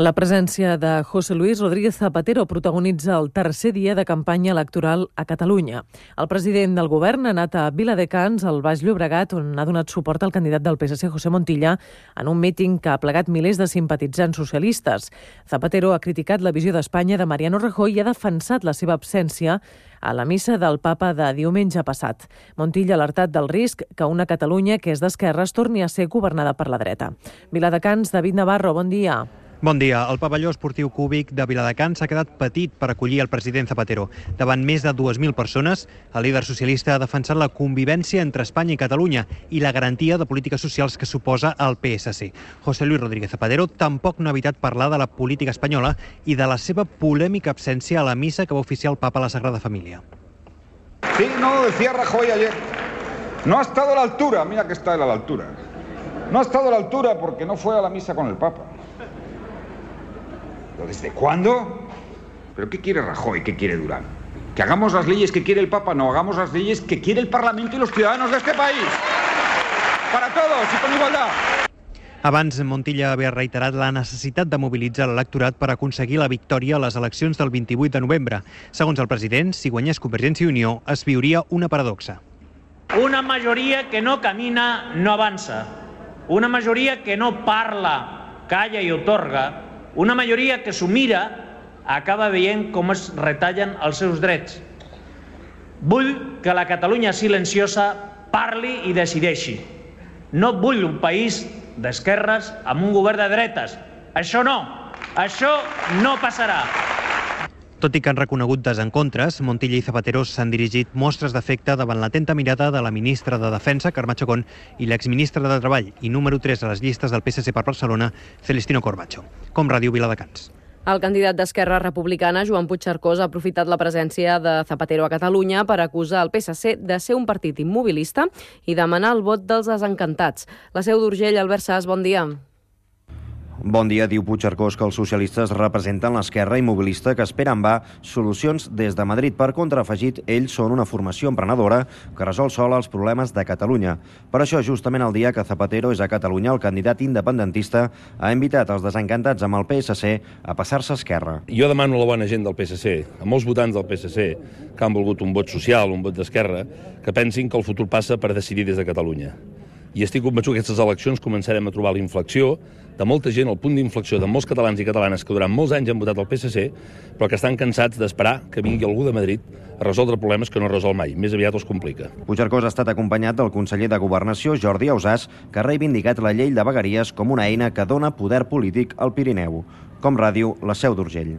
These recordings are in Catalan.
La presència de José Luis Rodríguez Zapatero protagonitza el tercer dia de campanya electoral a Catalunya. El president del govern ha anat a Viladecans, al Baix Llobregat, on ha donat suport al candidat del PSC, José Montilla, en un míting que ha plegat milers de simpatitzants socialistes. Zapatero ha criticat la visió d'Espanya de Mariano Rajoy i ha defensat la seva absència a la missa del papa de diumenge passat. Montilla ha alertat del risc que una Catalunya que és d'esquerres torni a ser governada per la dreta. Viladecans, David Navarro, bon dia. Bon dia. El pavelló esportiu cúbic de Viladecans s'ha quedat petit per acollir el president Zapatero. Davant més de 2.000 persones, el líder socialista ha defensat la convivència entre Espanya i Catalunya i la garantia de polítiques socials que suposa el PSC. José Luis Rodríguez Zapatero tampoc no ha evitat parlar de la política espanyola i de la seva polèmica absència a la missa que va oficiar el papa a la Sagrada Família. Sí, no, decía Rajoy ayer. No ha estado a la altura. Mira que está él a la altura. No ha estado a la altura porque no fue a la misa con el papa. ¿Desde cuándo? ¿Pero qué quiere Rajoy? ¿Qué quiere Durán? ¿Que hagamos las leyes que quiere el Papa? No, hagamos las leyes que quiere el Parlamento y los ciudadanos de este país. Para todos y con igualdad. Abans, Montilla havia reiterat la necessitat de mobilitzar l'electorat per aconseguir la victòria a les eleccions del 28 de novembre. Segons el president, si guanyés Convergència i Unió, es viuria una paradoxa. Una majoria que no camina no avança. Una majoria que no parla, calla i otorga. Una majoria que s'ho mira acaba veient com es retallen els seus drets. Vull que la Catalunya silenciosa parli i decideixi. No vull un país d'esquerres amb un govern de dretes. Això no passarà. Tot i que han reconegut desencontres, Montilla i Zapatero s'han dirigit mostres d'afecte davant l'atenta mirada de la ministra de Defensa, Carme Chacón, i l'exministre de Treball i número 3 a les llistes del PSC per Barcelona, Celestino Corbacho. Com Ràdio Viladecans. El candidat d'Esquerra Republicana, Joan Puigcercós, ha aprofitat la presència de Zapatero a Catalunya per acusar el PSC de ser un partit immobilista i demanar el vot dels desencantats. La Seu d'Urgell, Albert Sas, bon dia. Bon dia, diu Puigcercós que els socialistes representen l'esquerra immobilista que espera en va solucions des de Madrid. Per contra, afegit, ells són una formació emprenedora que resol sola els problemes de Catalunya. Per això, justament el dia que Zapatero és a Catalunya, el candidat independentista ha invitat els desencantats amb el PSC a passar-se a Esquerra. Jo demano a la bona gent del PSC, a molts votants del PSC, que han volgut un vot social, un vot d'esquerra, que pensin que el futur passa per decidir des de Catalunya. I estic convençut que aquestes eleccions començarem a trobar la inflexió de molta gent, el punt d'inflexió de molts catalans i catalanes que durant molts anys han votat el PSC, però que estan cansats d'esperar que vingui algú de Madrid a resoldre problemes que no resol mai. Més aviat els complica. Puigcercós ha estat acompanyat del conseller de Governació, Jordi Ausàs, que ha reivindicat la llei de vegueries com una eina que dona poder polític al Pirineu. Com Ràdio, la Seu d'Urgell.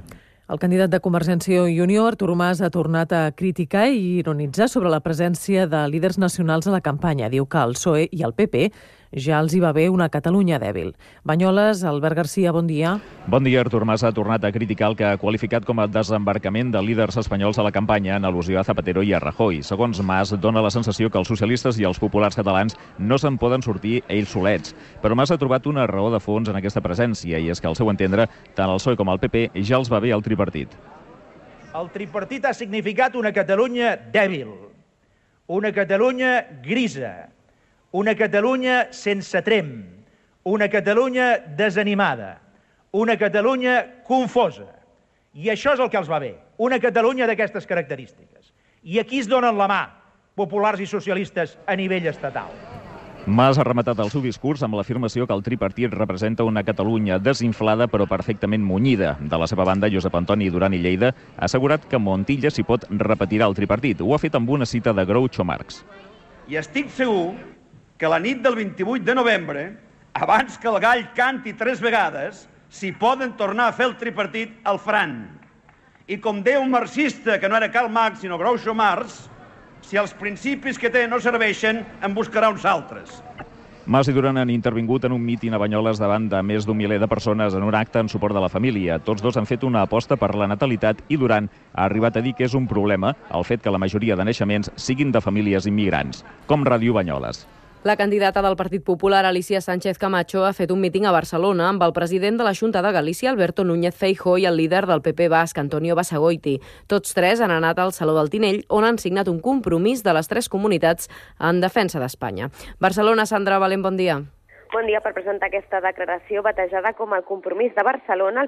El candidat de Convergència i Unió, Artur Mas, ha tornat a criticar i ironitzar sobre la presència de líders nacionals a la campanya. Diu que el PSOE i el PP ja els hi va bé una Catalunya dèbil. Banyoles, Albert Garcia, bon dia. Bon dia. Artur Mas ha tornat a criticar el que ha qualificat com a desembarcament de líders espanyols a la campanya en al·lusió a Zapatero i a Rajoy. Segons Mas, dona la sensació que els socialistes i els populars catalans no se'n poden sortir ells solets. Però Mas ha trobat una raó de fons en aquesta presència i és que, al seu entendre, tant el PSOE com el PP ja els va bé el tripartit. El tripartit ha significat una Catalunya dèbil, una Catalunya grisa, una Catalunya sense trem, una Catalunya desanimada, una Catalunya confosa. I això és el que els va bé, una Catalunya d'aquestes característiques. I aquí es donen la mà, populars i socialistes, a nivell estatal. Mas ha rematat el seu discurs amb l'afirmació que el tripartit representa una Catalunya desinflada però perfectament munyida. De la seva banda, Josep Antoni Duran i Lleida ha assegurat que Montilla s'hi pot repetirà el tripartit. Ho ha fet amb una cita de Groucho Marx. I estic segur que la nit del 28 de novembre, abans que el gall canti 3 vegades, s'hi poden tornar a fer el tripartit al Fran. I com deia un marxista, que no era Karl Marx, sinó Groucho Marx, si els principis que té no serveixen, en buscarà uns altres. Mas i Duran han intervingut en un míting a Banyoles davant de més d'un miler de persones en un acte en suport de la família. Tots dos han fet una aposta per la natalitat i Duran ha arribat a dir que és un problema el fet que la majoria de naixements siguin de famílies immigrants. Com Ràdio Banyoles. La candidata del Partit Popular, Alicia Sánchez Camacho, ha fet un míting a Barcelona amb el president de la Xunta de Galícia, Alberto Núñez Feijóo, i el líder del PP basc, Antonio Basagoiti. Tots tres han anat al Saló del Tinell, on han signat un compromís de les tres comunitats en defensa d'Espanya. Barcelona, Sandra Valent, bon dia. Bon dia. Per presentar aquesta declaració batejada com el compromís de Barcelona, el PP